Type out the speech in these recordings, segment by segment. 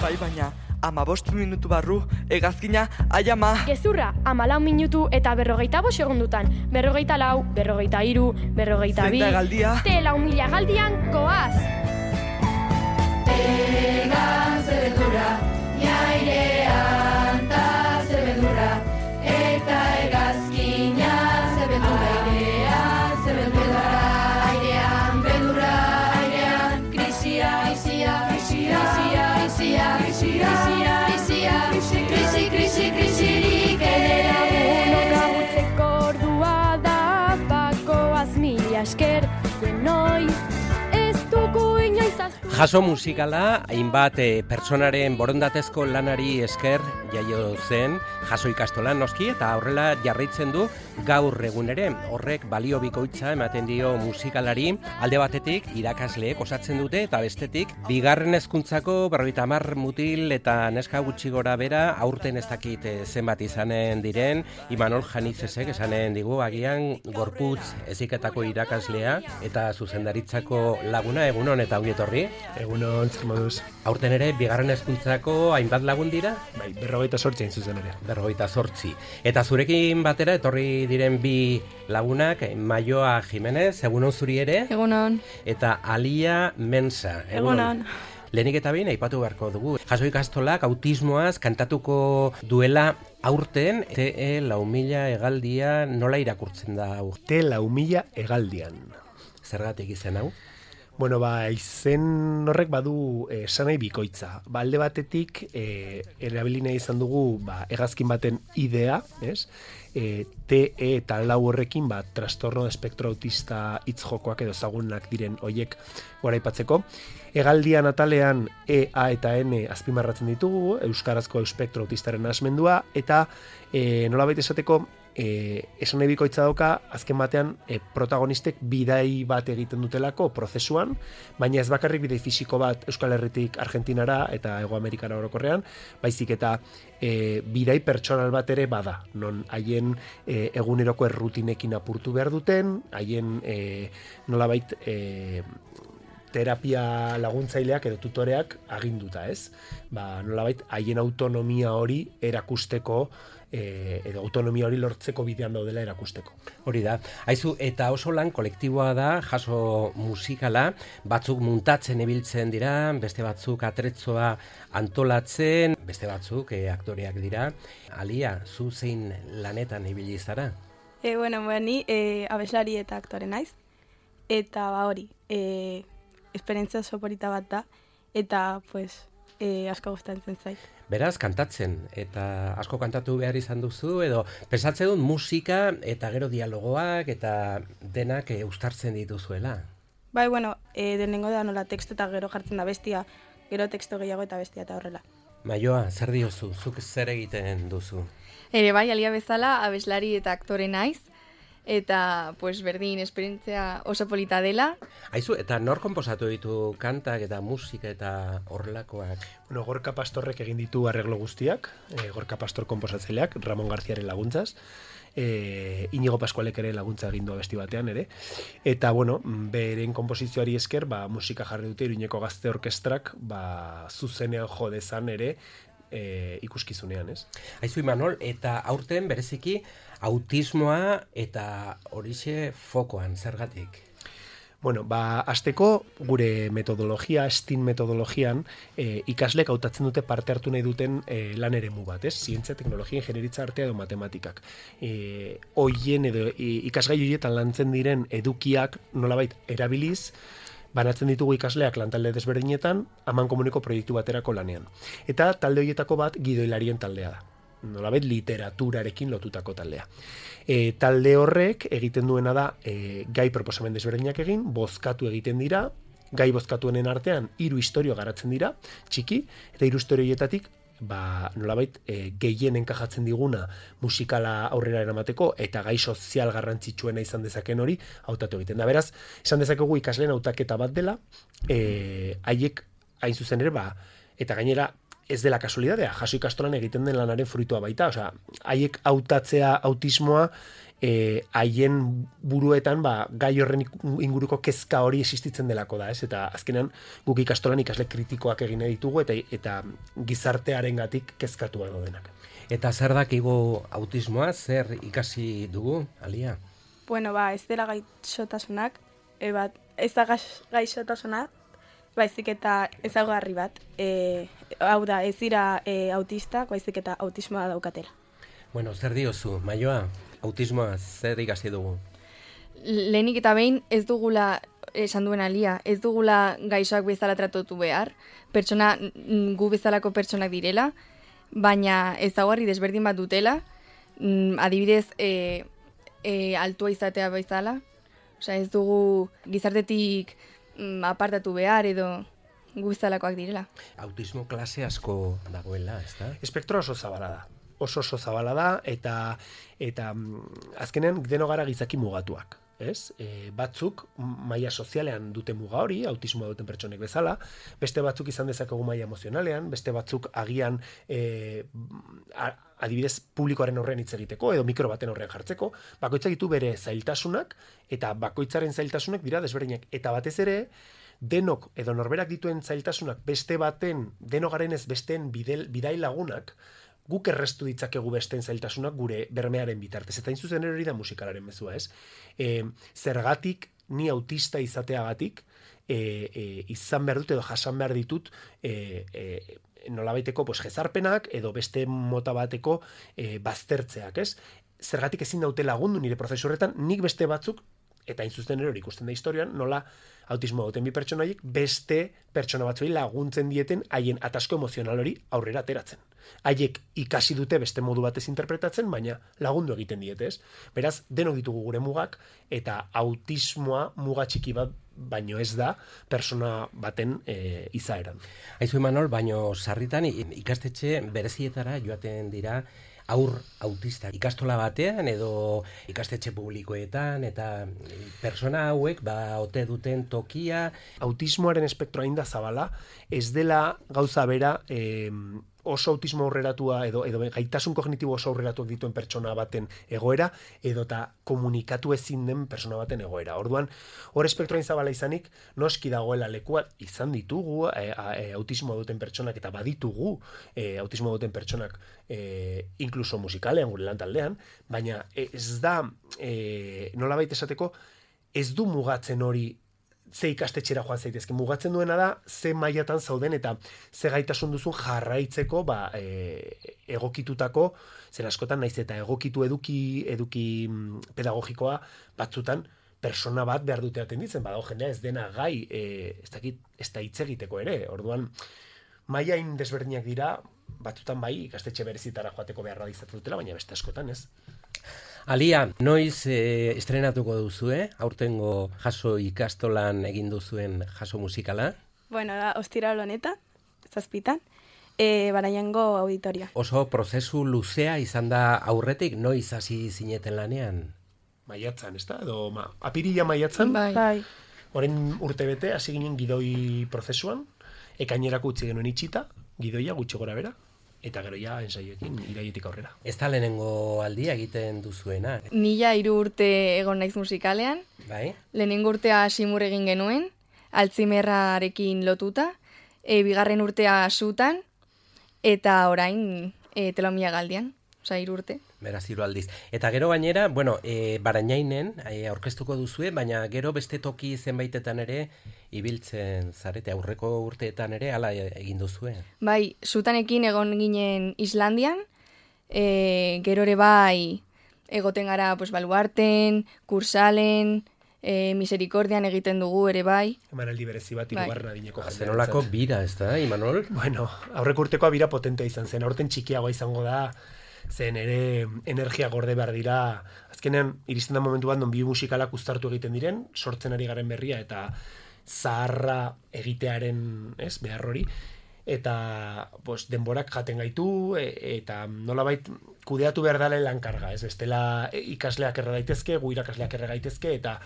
Bai, baina 15 minutu barru, hegazkina, ai ama. Gezurra, 14 minutu eta 45 segundutan. 44, 43, 42. Zein da galdia? Te 4.000 galdian goaz. Egan zebedura, jairean ta zebedura, eta hegazkina zebedura. Airean zebedura, airean bedura, airean krisia, krisia, krisia, krisia, krisia, krisia, krisia, krisia, krisirik ere. Lagunok agutzeko ordua da, bakoaz mila esker, denoi, ez dugu inoiz aztu. Jaso musikala, hainbat pertsonaren borondatezko lanari esker jaio zen, jaso ikastolan noski, eta horrela jarraitzen du gaur egun ere. Horrek balio bikoitza ematen dio musikalari, alde batetik irakasleek osatzen dute, eta bestetik bigarren hezkuntzako 50 mutil eta neska gutxi gora bera, aurten ez dakit zenbat izanen diren, Imanol Janizesek esanen digu agian gorputz heziketako irakaslea eta zuzendaritzako laguna, egunon eta ongi etorri. Egunon, zer moduz. Aurten ere, bigarren hezkuntzako hainbat lagun dira? Bai, 48 hain zuzen ere. 48. Eta zurekin batera, etorri diren bi lagunak, Maioa Jimenez, egunon zuri ere? Egunon. Eta Alia Mensa. Egunon. Lehenik eta behin aipatu beharko dugu. Jaso ikastolak autismoaz kantatuko duela aurten, te 4.000 hegaldia nola irakurtzen da hau? Te 4.000 hegaldian. Zergatik izen hau? Bueno, izen horrek badu esanai bikoitza. Alde batetik, erabili nahi izan dugu hegazkin baten idea, ez? TE eta lau horrekin trastorno espektro autista hitz jokoak edo ezagunak diren hoiek goraipatzeko. Hegaldian atalean E, A eta N azpimarratzen ditugu, euskarazko espektro autistaren asmendua, eta nolabait esateko, esan nahi bikoitza dauka, azken batean protagonistek bidai bat egiten dutelako prozesuan, baina ez bakarrik bidai fisiko bat Euskal Herritik Argentinara eta Hego Amerikara orokorrean, baizik eta bidai pertsonal bat ere bada, non haien eguneroko errutinekin apurtu behar duten, haien nolabait terapia laguntzaileak edo tutoreak aginduta, ez? Nolabait haien autonomia hori erakusteko edo autonomia hori lortzeko bidean daudela erakusteko. Hori da. Aizu, eta oso lan kolektiboa da, jaso musikala, batzuk muntatzen ibiltzen dira, beste batzuk atretzoa antolatzen, beste batzuk aktoreak dira. Alia, zu zein lanetan ibili zara? Ni abeslari eta aktore naiz, eta hori, esperientzia oso polita bat da, eta asko gustatzen zait. Beraz, kantatzen, eta asko kantatu behar izan duzu, edo pensatzen dut musika eta gero dialogoak eta denak uztartzen dituzuela. Denengo da nola teksto eta gero jartzen da bestia, gero teksto gehiago eta bestia eta horrela. Maioa, zer diozu? Zuk zer egiten duzu? Alia bezala, abeslari eta aktore naiz, eta berdin esperientzia oso polita dela. Aizu, eta nor konposatu ditu kantak eta musika eta horrelakoak? Gorka Pastorrek egin ditu arreglo guztiak, Gorka Pastor konposatzaileak, Ramon Garziaren laguntzaz, Inigo Pascualek ere laguntza egin du abesti batean ere, eta beren konposizioari esker, musika jarri dute Iruñeko Gazte Orkestrak, zuzenean jo dezan ere, ikuskizunean, ez? Aizu, Imanol, eta aurten bereziki autismoa eta horixe fokoan, zergatik? Hasteko gure metodologia, STEAM metodologian, ikasleek hautatzen dute parte hartu nahi duten lan eremu bat, ez? Zientzia, teknologia, ingenieritza, artea edo matematikak. Hoien edo ikasgai horietan lantzen diren edukiak nolabait erabiliz, banatzen ditugu ikasleak lantalde desberdinetan, amankomuneko proiektu baterako lanean. Eta talde horietako bat gidoilarien taldea da. Nolabait literaturarekin lotutako taldea. Talde horrek egiten duena da gai proposamen desberdinak egin, bozkatu egiten dira, gai bozkatuenen artean 3 istorio garatzen dira, txiki, eta 3 istorio horietatik nolabait gehien enkajatzen diguna musikala aurrera eramateko eta gai sozial garrantzitsuena izan dezaken hori hautatu egiten da. Beraz, esan dezakegu ikasleen hautaketa bat dela, haiek hain zuzen ere, eta gainera ez dela kasualidadea, jaso ikastolan egiten den lanaren fruitua baita, osea, haiek hautatzea autismoa haien buruetan gai horren inguruko kezka hori existitzen delako da, ez? Eta azkenean guk ikastolan ikasle kritikoak egin ditugu eta gizartearengatik kezkatua daudenak. Eta zer dakigu autismoa, zer ikasi dugu, Alia? Bueno, ez dela gaixotasunak, ez da gaixotasuna, baizik eta ezaugarri bat. Hau da, ez dira autistak, baizik eta autismoa daukatela. Bueno, zer diozu, Maioa? Autismoa zer ikasi dugu? Lehenik eta behin ez dugula, esan duen Alia, ez dugula gaixoak bezala tratatu behar, pertsona, gu bezalako pertsonak direla, baina ezaugarri desberdin bat dutela, adibidez, altua izatea bezala, osea ez dugu gizartetik apartatu behar edo gu bezalakoak direla. Autismo klase asko dagoela, ez da? Espektro oso zabala da. Oso zabala da eta azkenean deno gara gizaki mugatuak, ez? Batzuk maila sozialean dute muga hori, autismoa duten pertsonek bezala, beste batzuk izan dezakegu maila emozionalean, beste batzuk agian adibidez publikoaren horrean hitz egiteko edo mikro baten horrean jartzeko, bakoitzak ditu bere zailtasunak eta bakoitzaren zailtasunak dira desberdinak eta batez ere denok edo norberak dituen zailtasunak beste baten denogarenez besteen bidai lagunak guk errestu ditzakegu besteen zailtasunak gure bermearen bitartez. Eta zuzen hori da musikalaren mezua, ez? Zergatik ni autista izateagatik izan behar dut edo jasan behar ditut nolabaiteko jezarpenak edo beste mota bateko baztertzeak, ez? Zergatik ezin daute lagundu nire prozesu horretan, nik beste batzuk, eta hain zuzen hori ikusten da historian, nola autismo duten bi pertsonaiek beste pertsona batzuei laguntzen dieten haien atasko emozional hori aurrera ateratzen. Haiek ikasi dute beste modu batez interpretatzen, baina lagundu egiten diete, ez? Beraz, denok ditugu gure mugak, eta autismoa muga txiki bat baino ez da persona baten izaeran. Aizu Imanol, baino sarritan ikastetxe berezietara joaten dira aur autista ikastola batean edo ikastetxe publikoetan eta persona hauek ote duten tokia. Autismoaren espektroa hain da zabala, ez dela gauza bera oso autismo aurreratua edo gaitasun kognitibo oso aurreratuak dituen pertsona baten egoera edota komunikatu ezin den pertsona baten egoera. Orduan, hor espektroa zabala izanik, noski dagoela lekua izan ditugu autismoa duten pertsonak eta baditugu autismoa duten pertsonak inkluso musikalean gure lantaldean, baina ez da nolabait esateko ez du mugatzen hori ze ikastetxera joan zaitezke. Mugatzen duena da ze mailatan zauden eta ze gaitasun duzun jarraitzeko egokitutako, zen askotan naiz eta egokitu eduki pedagogikoa batzutan persona bat behar dute atenditzen, badago jendea ez dena gai ez da hitz egiteko ere. Orduan, mailain desberdinak dira, batzutan bai ikastetxe berezitara joateko beharra izatu dutela, baina beste askotan ez. Alia, noiz estrenatuko duzue, aurtengo jaso ikastolan egin duzuen jaso musikala? Bueno, da, ostiral honetan, 7 Baraiango auditoria. Oso prozesu luzea izan da aurretik, noiz hasi zineten lanean? Maiatzan, ez da? Edo apirila maiatzan? Bai. Orain urtebete hasi ginen gidoi prozesuan, ekainerako utzi genuen itxita, gidoia gutxi gora bera. Eta gero ja ensaioekin iraietik aurrera. Ez da lehenengo aldia egiten duzuena? Ni 3 urte egon naiz musikalean. Bai? Lehenengo urtea Simur egin genuen, Alzheimerrarekin lotuta, bigarren urtea Sutan, eta orain Telomia Galdian, 3 urte. Beraz, 3 aldiz. Eta gero gainera, Barainainen aurkeztuko duzue, baina gero beste toki zenbaitetan ere ibiltzen zarete, aurreko urteetan ere hala egin duzue. Bai, Sutanekin egon ginen Islandian, gero ere bai egoten gara Baluarten, Kursalen, Misericordian egiten dugu ere bai. Emanaldi berezi bat hirugarren adineko jendea. Zenolako bira, ez da, Imanol? Bueno, aurreko urtekoa bira potentea izan zen, aurten txikiagoa izango da, zen ere energia gorde behar dira. Azkenean, iristen da momentu bat non bi musikalak uztartu egiten diren, sortzen ari garen berria eta zaharra egitearen behar hori, eta denborak jaten gaitu, eta nolabait kudeatu behar dala lankarga, bestela ikasleak erra daitezke, gu irakasleak erra gaitezke, eta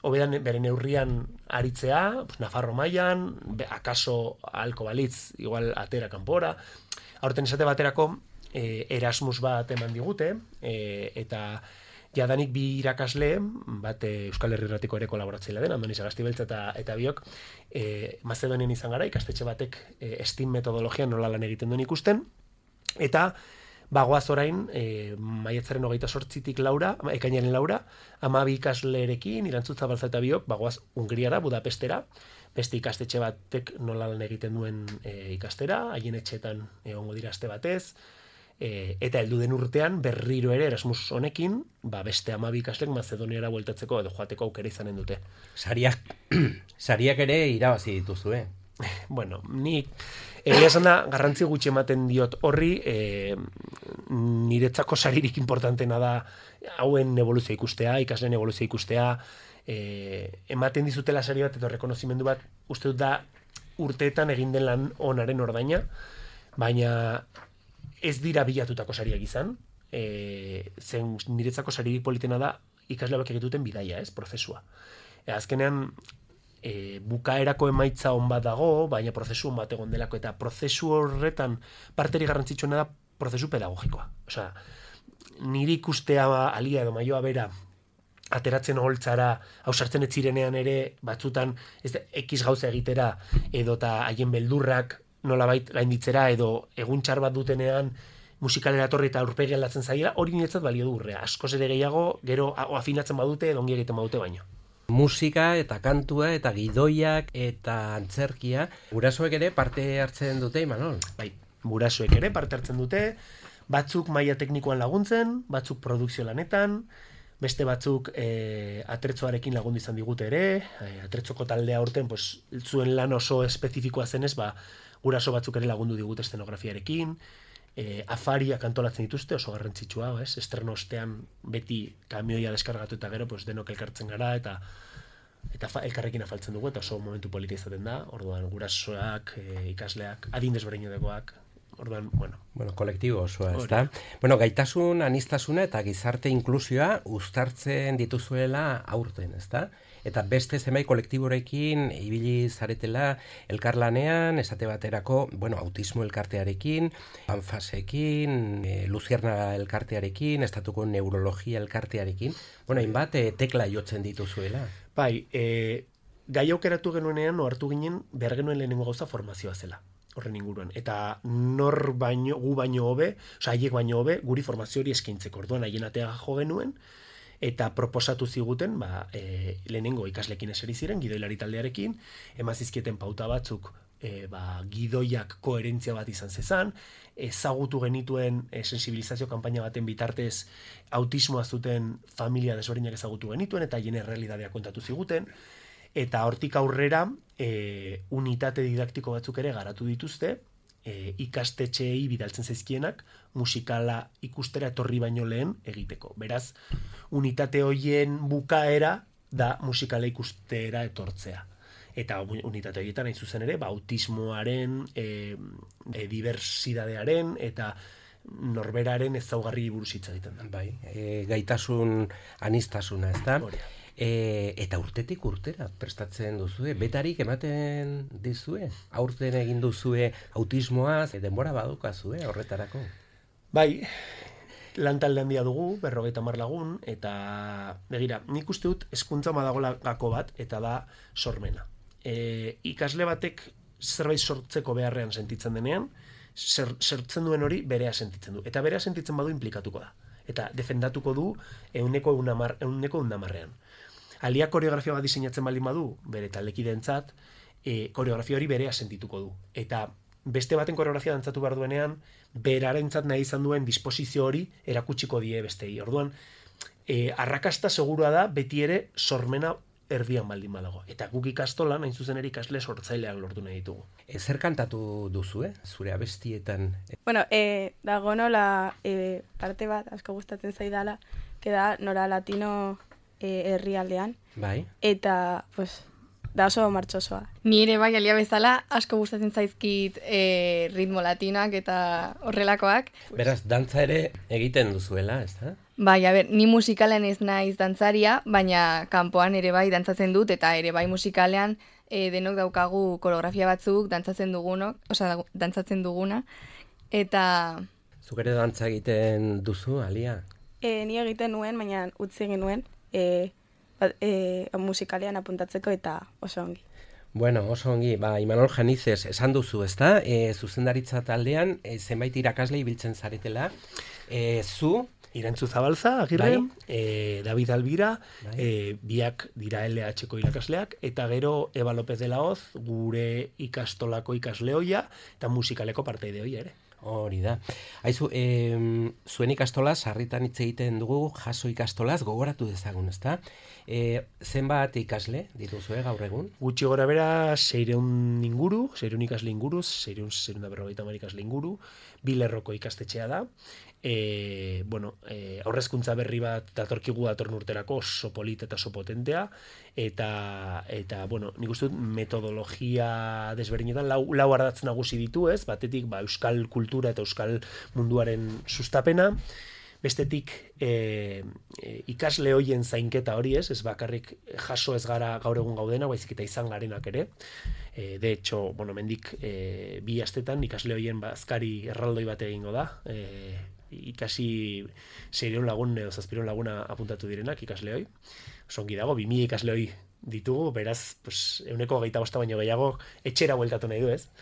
hobedan bere neurrian aritzea, Nafarro mailan, akaso halko balitz, igual atera kanpora. Aurten esate baterako Erasmus bat eman digute, eta jadanik bi irakasle, bat Euskal Herri Irratiko ere kolaboratzailea den, Andoni Sagasti Beltza eta biok, Mazedonian izan gara, ikastetxe batek STEAM metodologian nola lan egiten duen ikusten, eta bagoaz orain, maiatzaren 28-tik ekainaren 4, 12 ikaslerekin, Irantzutza Balza eta biok, bagoaz Hungriara, Budapestera, beste ikastetxe batek nola lan egiten duen ikastera, haien etxeetan egongo dira aste batez, eta heldu den urtean berriro ere Erasmus honekin, beste 12 ikaslek Mazedoniara bueltatzeko edo joateko aukera izanen dute. Sariak ere irabazi dituzue. Bueno, ni egia esan da garrantzi gutxi ematen diot horri, niretzako saririk importantena da hauen evoluzioa ikustea, ikasleen evoluzioa ikustea, ematen dizutela sari bat edo rekonozimendu bat, uste dut da urteetan egin den lan onaren ordaina, baina ez dira bilatutako sariak izan, zen niretzako saririk politena da ikasle hauek egituten bidaia, prozesua. Azkenean, bukaerako emaitza on bat dago, baina prozesu on bat egon delako, eta prozesu horretan parteri garrantzitsuena da prozesu pedagogikoa. Osea, niri ikustea alia edo maioa bera ateratzen holtzara, hausartzen etzirenean ere, batzutan X gauza egitera, edo eta haien beldurrak nolabait gainditzera, edo egun txar bat dutenean musikalera torri eta aurpegi aldatzen zaiela, hori niretzat balio du urrea. Askoz ere gehiago, gero afinatzen badute, edo ongi egiten badute baino. Musika eta kantua eta gidoiak eta antzerkia, gurasoek ere parte hartzen dute, Imanol? Bai, gurasoek ere parte hartzen dute, batzuk maila teknikoan laguntzen, batzuk produkzio lanetan, beste batzuk atretzoarekin lagundu izan digute ere, atretzoko taldea urten, zuen lan oso espezifikoa zenez, guraso batzuk ere lagundu digute eszenografiarekin, afariak antolatzen dituzte, oso garrantzitsua, estreno ostean beti kamioia deskargatu eta gero denok elkartzen gara, eta elkarrekin afaltzen dugu, eta oso momentu polita izaten da, orduan gurasoak, ikasleak, adin desberdinakoak, orduan, kolektibo osoa, ezta? Gaitasun, aniztasuna eta gizarte inklusioa uztartzen dituzuela aurten, ezta? Eta beste zenbait kolektiborekin ibili zaretela elkarlanean, esate baterako, autismo elkartearekin, Anfasekin, Luziernaga elkartearekin, estatuko neurologia elkartearekin, hainbat tekla jotzen dituzuela. Bai, gai aukeratu genuenean, hartu ginen, behar genuen lehenengo gauza formazioa zela, horren inguruan. Eta gu baino hobe, haiek baino hobe, guri formazio hori eskaintzeko. Orduan, haien atea jo genuen, eta proposatu ziguten, lehenengo ikaslekin eseri ziren, gidoilari taldearekin, emazizkieten pauta batzuk, gidoiak koherentzia bat izan zezan, ezagutu genituen sensibilizazio kanpaina baten bitartez autismoa zuten familia desberdinak ezagutu genituen, eta haien errealitatea kontatu ziguten, eta hortik aurrera unitate didaktiko batzuk ere garatu dituzte, ikastetxeei bidaltzen zaizkienak musikala ikustera etorri baino lehen egiteko. Beraz, unitate hoien bukaera da musikala ikustera etortzea. Eta unitate horietan hain zuzen ere, autismoaren, diversidadearen eta norberaren ezaugarri buruz hitz egiten da. Bai, gaitasun aniztasuna, ezta? Eta urtetik urtera prestatzen duzue, betarik ematen dizue, aurten egin duzue autismoaz, denbora badukazue horretarako. Bai, lantalde handia dugu, 50 lagun, eta begira, nik uste dut hezkuntza badagoela gako bat, eta da sormena. Ikasle batek zerbait sortzeko beharrean sentitzen denean, sortzen duen hori berea sentitzen du. Eta berea sentitzen badu implikatuko da. Eta defendatuko du 100%. Alia koreografia bat diseinatzen baldin badu, bere taldekideentzat, koreografia hori berea sentituko du. Eta beste baten koreografia dantzatu behar duenean, berarentzat nahi izan duen disposizio hori erakutsiko die bestei. Orduan, arrakasta segurua da beti ere sormena erdian baldin badago. Eta guk ikastolan, hain zuzen ere ikasle sortzaileak lortu nahi ditugu. Zer kantatu duzu, zure abestietan? Dago nola parte bat, asko gustatzen zaidala, da Nora Latino herrialdean. Bai. Eta, da oso martxosoa. Ni ere bai, alia bezala, asko gustatzen zaizkit ritmo latinoak eta horrelakoak. Beraz, dantza ere egiten duzuela, ez da? Bai, ni musikalean ez naiz dantzaria, baina kanpoan ere bai dantzatzen dut, eta ere bai musikalean denok daukagu koreografia batzuk dantzatzen duguna, eta... Zuk ere dantza egiten duzu, Alia? Ni egiten nuen, baina utzi egin nuen musikalean apuntatzeko eta oso ongi. Bueno, oso ongi, Imanol Janizes, esan duzu, ezta? Zuzendaritza taldean, zenbait irakasle ibiltzen zaretela, zu... Irantzu Zabalza, Agirre, David Albira, biak dira LH-ko irakasleak, eta gero Eba López de la Hoz, gure ikastolako ikasleoia, eta musikaleko parteide hoia ere. Hori da. Haizu, zuen ikastolaz, sarritan hitz egiten dugu, jaso ikastolaz, gogoratu dezagun, ezta? Zenbat ikasle dituzue gaur egun? Gutxi gora bera, 600 inguru, 600 ikasle inguru, 650 ikasle inguru, 2 lerroko ikastetxea da. Aurrezkuntza berri bat datorkigu datorren urterako, oso polit eta oso potentea, eta nik uste dut metodologia desberdinetan lau ardatz nagusi ditu, ez? Batetik euskal kultura eta euskal munduaren sustapena, bestetik ikasle hoien zainketa hori, ez bakarrik jaso ez gara gaur egun gaudena, baizik eta izan garenak ere. De hecho, mendik 2 astetan ikasle hoien azkari erraldoi bat egingo da, ikasi 600 lagun edo 700 laguna apuntatu direnak ikasle hoi. Songi dago, 2000 ikasle hoi ditugu, beraz, 125 baino gehiago etxera bueltatu nahi du, ez?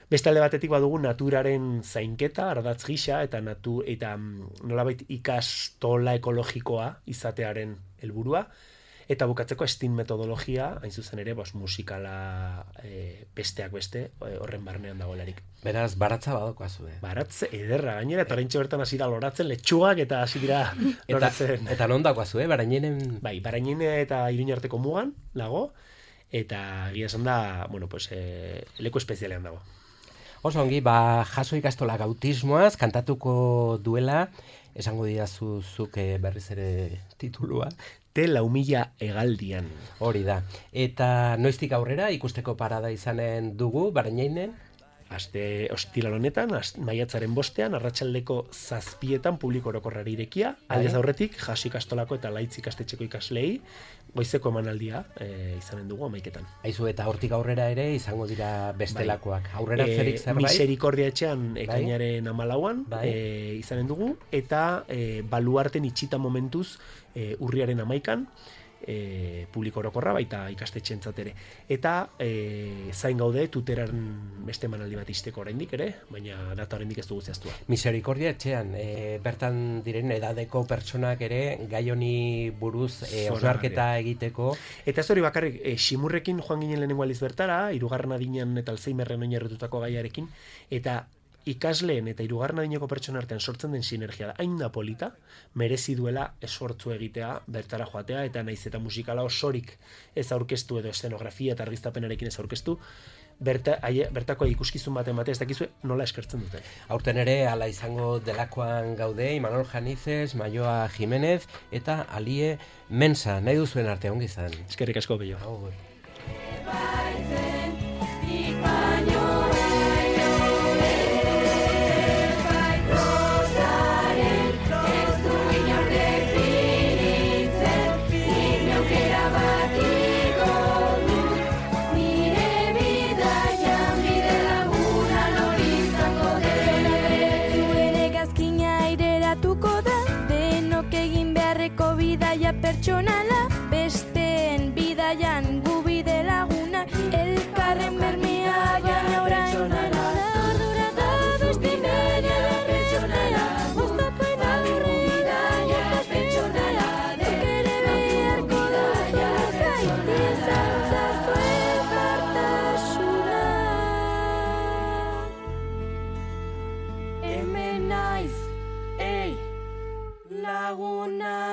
Beste alde batetik badugu naturaren zainketa, ardatz gisa, eta nolabait ikastola ekologikoa izatearen helburua, eta bukatzeko STEAM metodologia, hain zuzen ere, musikala besteak beste, horren barnean dagoelarik. Beraz, baratza badokoazu, Baratze ederra, gainera, eta oraintxe bertan hasi da loratzen, letxugak eta hasi dira loratzen. Eta non dagoazu, Barainenen? Bai, Barainen eta Iruña arteko mugan dago, eta gira esan da, leku espezialean dago. Oso ongi, jaso ikastolak autismoaz, kantatuko duela, esango didazu zuk berriz ere titulua. Te 4.000 hegaldian. Hori da. Eta noiztik aurrera ikusteko parada izanen dugu, Barainen? Aste ostiral honetan, maiatzaren 5ean, arratsaldeko 7etan publiko orokorrari irekia, aldez aurretik, jaso ikastolako eta laitz ikastetxeko ikaslei, goizeko emanaldia izanen dugu 11etan. Aizu, eta hortik aurrera ere izango dira bestelakoak. Aurrera zerik zerbait? Miserikordia etxean ekainaren 14an izanen dugu, eta baluarten itxita momentuz urriaren 11an, publiko orokorra baita ikastetxeentzat ere. Eta zain gaude tuteran beste emanaldi bat izteko oraindik ere, baina data oraindik ez dugu zehaztua. Miserikordia etxean, bertan diren edadeko pertsonak ere gai honi buruz hausnarketa egiteko. Eta ez hori bakarrik, Ximurrekin joan ginen lehenengo aldiz bertara, 3. adinean eta Alzheimerren oinarritutako gaiarekin, eta ikasleen eta 3. adineko pertsona artean sortzen den sinergia da, hain da polita, merezi duela esfortzu egitea, bertara joatea, eta naiz eta musikala osorik ez aurkeztu edo eszenografia eta argiztapenarekin ez aurkeztu, bertako ikuskizun bat ematea ez dakizue nola eskertzen dute. Aurten ere, ala izango delakoan gaude, Imanol Janizes, Maioa Jimenez, eta Alie Mensa, nahi duzuen arte ongi izan. Eskerrik asko bello. Pertsonala, besteen bidaian gu bide laguna, elkarren bermea baina orain dela. Ordura da beste bere pertsonala, oztapen aurre bidaia pertsonala, ere beharko da gaiti zantzazu elkartasuna. Hemen naiz, ei, laguna.